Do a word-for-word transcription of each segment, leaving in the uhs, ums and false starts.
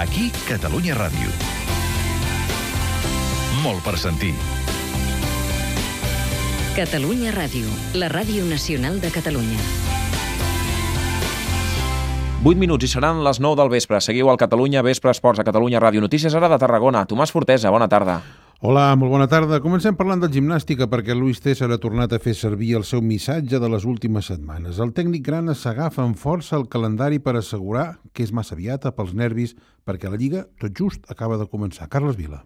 Aquí, Catalunya Ràdio. Molt per sentir. Catalunya Ràdio, la ràdio nacional de Catalunya. vuit minuts i seran les nou del vespre. Seguiu al Catalunya Vespre Esports a Catalunya Ràdio. Notícies ara de Tarragona. Tomàs Fortesa, bona tarda. Hola, molt bona tarda. Comencem parlant de gimnàstica perquè Luis César ha tornat a fer servir el seu missatge de les últimes setmanes. El tècnic grana s'agafa amb força el calendari per assegurar que és massa aviat pels nervis perquè la Lliga tot just acaba de començar. Carles Vila.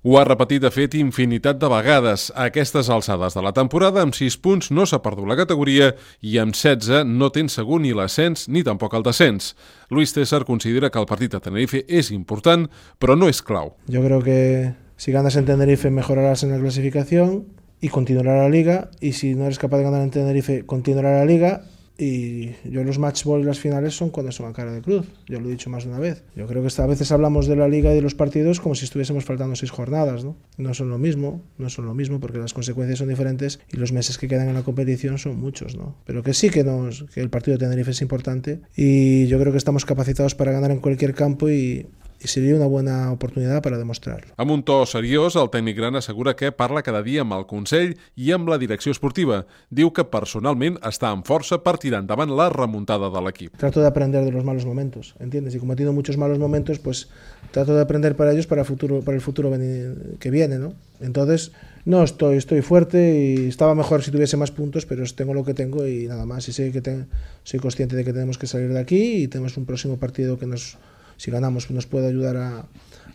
Ho ha repetit, de fet, infinitat de vegades. A aquestes alçades de la temporada, amb sis punts no s'ha perdut la categoria i amb setze no té segur ni l'ascens ni tampoc el descens. Luis César considera que el partit a Tenerife és important, però no és clau. Yo creo que si ganas en Tenerife mejorarás en la clasificación y continuará la Liga, y si no eres capaz de ganar en Tenerife continuará la Liga. Y yo los match ball y las finales son cuando son a cara de cruz, yo lo he dicho más de una vez. Yo creo que a veces hablamos de la Liga y de los partidos como si estuviésemos faltando seis jornadas, ¿no? No son lo mismo, no son lo mismo porque las consecuencias son diferentes y los meses que quedan en la competición son muchos, ¿no? Pero que sí que, nos, que el partido de Tenerife es importante y yo creo que estamos capacitados para ganar en cualquier campo y i seria una bona oportunitat per a demostrar. Amb un to seriós, el tècnic gran assegura que parla cada dia amb el Consell i amb la direcció esportiva. Diu que personalment està amb força per tirar endavant la remuntada de l'equip. Trato de aprender de los malos momentos, ¿entiendes? Y como he tenido muchos malos momentos, pues trato de aprender para ellos para el futuro, para el futuro que viene, ¿no? Entonces, no, estoy, estoy fuerte y estaba mejor si tuviese más puntos, pero tengo lo que tengo y nada más. Y sé que te, soy consciente de que tenemos que salir de aquí y tenemos un próximo partido que nos... si ganamos nos puede ayudar a,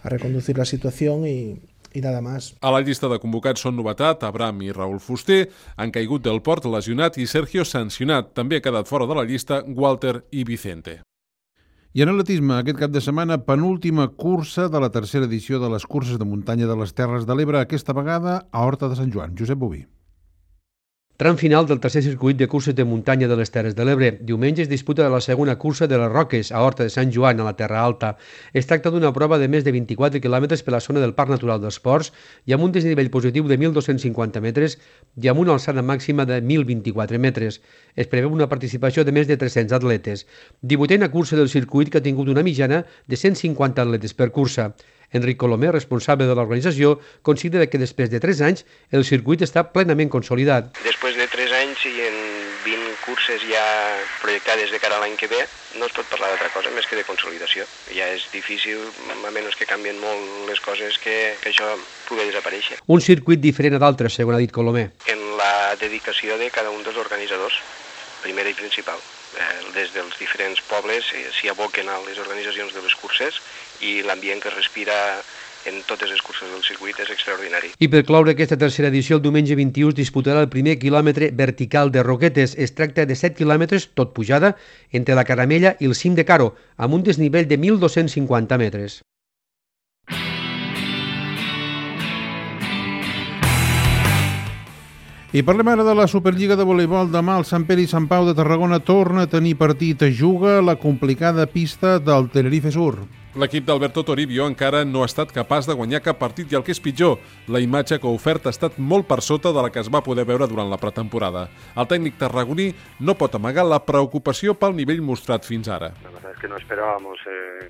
a reconducir la situación y, y nada más. A la llista de convocats són novetat Abraham i Raúl Fuster, han caigut del Port lesionat i Sergio sancionat. També ha quedat fora de la llista Walter i Vicente. I en atletisme, aquest cap de setmana, penúltima cursa de la tercera edició de les curses de muntanya de les Terres de l'Ebre, aquesta vegada a Horta de Sant Joan. Josep Boví. Tram final del tercer circuit de curses de muntanya de les Terres de l'Ebre. Diumenge es disputa la segona cursa de les Roques, a Horta de Sant Joan, a la Terra Alta. Es tracta d'una prova de més de vint-i-quatre quilòmetres per la zona del Parc Natural dels Ports i amb un desnivell positiu de mil dos-cents cinquanta metres i amb una alçada màxima de mil vint-i-quatre metres. Es preveu una participació de més de tres-cents atletes. divuitena cursa del circuit que ha tingut una mitjana de cent cinquanta atletes per cursa. Enric Colomer, responsable de l'organització, considera que després de tres anys el circuit està plenament consolidat. Després de tres anys i en vint curses ja projectades de cara a l'any que ve, no es pot parlar d'altra cosa més que de consolidació. Ja és difícil, a menys que canvien molt les coses, que, que això pugui desaparèixer. Un circuit diferent a d'altres, segons ha dit Colomer. En la dedicació de cada un dels organitzadors, primera i principal. Des dels diferents pobles s'hi aboquen a les organitzacions de les curses i l'ambient que respira en totes les curses del circuit és extraordinari. I per cloure aquesta tercera edició, el diumenge vint-i-u es disputarà el primer quilòmetre vertical de Roquetes. Es tracta de set quilòmetres, tot pujada, entre la Caramella i el cim de Caro, amb un desnivell de mil dos-cents cinquanta metres. I parlem ara de la Superliga de voleibol. Demà el Sant Pere i Sant Pau de Tarragona torna a tenir partit. Juga la complicada pista del Tenerife Sur. L'equip d'Alberto Toribio encara no ha estat capaç de guanyar cap partit i el que és pitjor, la imatge que ha ofert ha estat molt per sota de la que es va poder veure durant la pretemporada. El tècnic tarragoní no pot amagar la preocupació pel nivell mostrat fins ara. La verdad es que no esperábamos eh,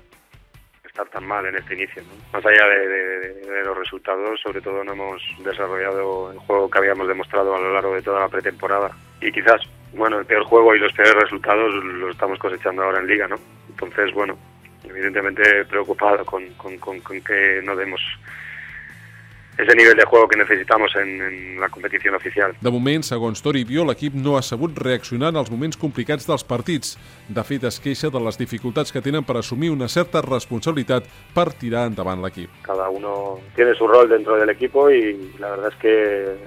estar tan mal en este inicio, ¿no? Más allá de, de, de los resultados, sobre todo no hemos desarrollado el juego que habíamos demostrado a lo largo de toda la pretemporada. Y quizás, bueno, el peor juego y los peores resultados los estamos cosechando ahora en Liga, ¿no? Entonces, bueno, evidentemente preocupado con, con, con, con que no demos ese nivell de juego que necessitamos en, en la competició oficial. De moment, segons Toribio, l'equip no ha sabut reaccionar en els moments complicats dels partits. De fet, es queixa de les dificultats que tenen per assumir una certa responsabilitat per tirar endavant l'equip. Cada uno tiene su rol dentro del equipo y la verdad es que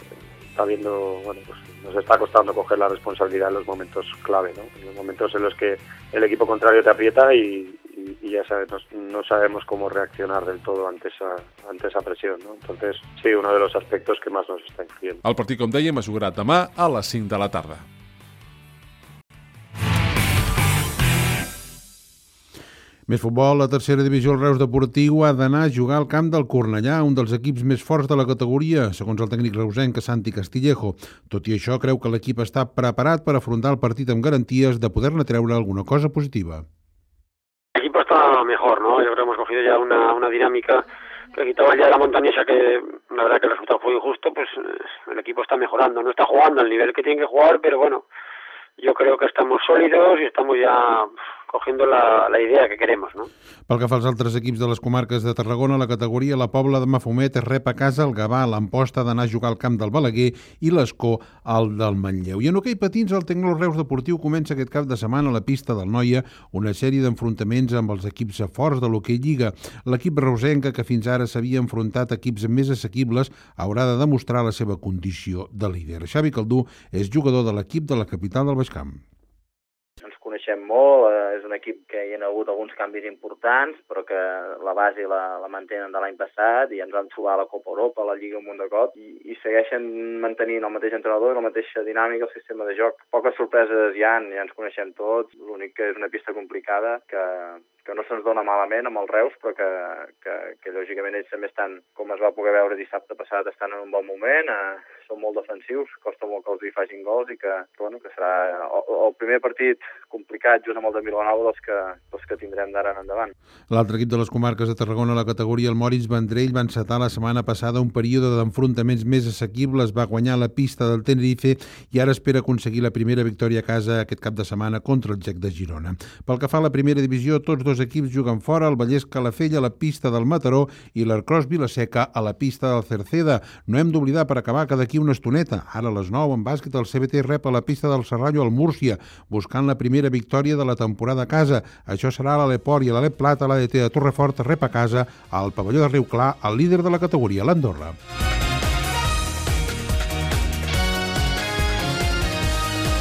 está viendo, bueno, pues nos está costando coger la responsabilidad en los momentos clave, ¿no? En los momentos en los que el equipo contrario te aprieta y y ya sabes, no, no sabemos cómo reaccionar del todo ante esa, ante esa presión, ¿no? Entonces, sí, uno de los aspectos que más nos está influyendo. El partit, com dèiem, es jugarà demà a les cinc de la tarda. Més futbol, la tercera divisió del Reus Deportiu ha d'anar a jugar al camp del Cornellà, un dels equips més forts de la categoria, segons el tècnic reusenc Santi Castillejo. Tot i això, creu que l'equip està preparat per afrontar el partit amb garanties de poder-ne treure alguna cosa positiva. El equipo está mucho mejor, ¿no? Yo creo que hemos cogido ya una, una dinámica que quitaba ya la montañesa, que la verdad que el resultado fue injusto. Pues el equipo está mejorando, no está jugando al nivel que tiene que jugar, pero bueno, yo creo que estamos sòlidos i estamos ja cogiendo la, la idea que queremos, ¿no? Pel que fa als altres equips de les comarques de Tarragona, la categoria la Pobla de Mafumet es rep a casa el Gavà, l'Amposta d'anar a jugar al camp del Balaguer i l'Escó al del Manlleu. I en hoquei patins, el Tecno Reus Deportiu comença aquest cap de setmana a la pista del Noia una sèrie d'enfrontaments amb els equips forts de l'hoquei Lliga. L'equip reusenca, que fins ara s'havia enfrontat a equips més assequibles, haurà de demostrar la seva condició de líder. Xavi Caldú és jugador de l'equip de la capital del Baix Camp. Coneixem molt, eh, és un equip que hi ha hagut alguns canvis importants, però que la base la, la mantenen de l'any passat i ens van trobar a la Copa Europa, a la Lliga un munt de cop, i, i segueixen mantenint el mateix entrenador, la mateixa dinàmica, el sistema de joc. Poques sorpreses hi ha, ja ens coneixem tots, l'únic que és una pista complicada, que, que no se'ns dona malament amb els Reus, però que, que, que lògicament ells també estan, com es va poder veure dissabte passat, estan en un bon moment, eh, són molt defensius, costa molt que els hi facin gols i que, que, bueno, que serà el, el primer partit complicat just amb el de Vilanova dels que, dels que tindrem d'ara en endavant. L'altre equip de les comarques de Tarragona, la categoria, el Moritz Vendrell, va encetar la setmana passada un període d'enfrontaments més assequibles, va guanyar la pista del Tenerife i ara espera aconseguir la primera victòria a casa aquest cap de setmana contra el Gec de Girona. Pel que fa a la primera divisió, tots dos equips juguen fora, el Vallès Calafell a la pista del Mataró i l'Arcros Vilaseca a la pista del Cerceda. No hem d'oblidar, per acabar, que d'aquí una estoneta, ara a les nou, en bàsquet, el C B T rep a la pista del Serrallo al Múrcia, buscant la primera victòria de la temporada a casa. Això serà a l'Aleport i a l'Alep Plata, l'A D T de Torrefort rep a casa al pavelló de Riu Clar, el líder de la categoria, l'Andorra.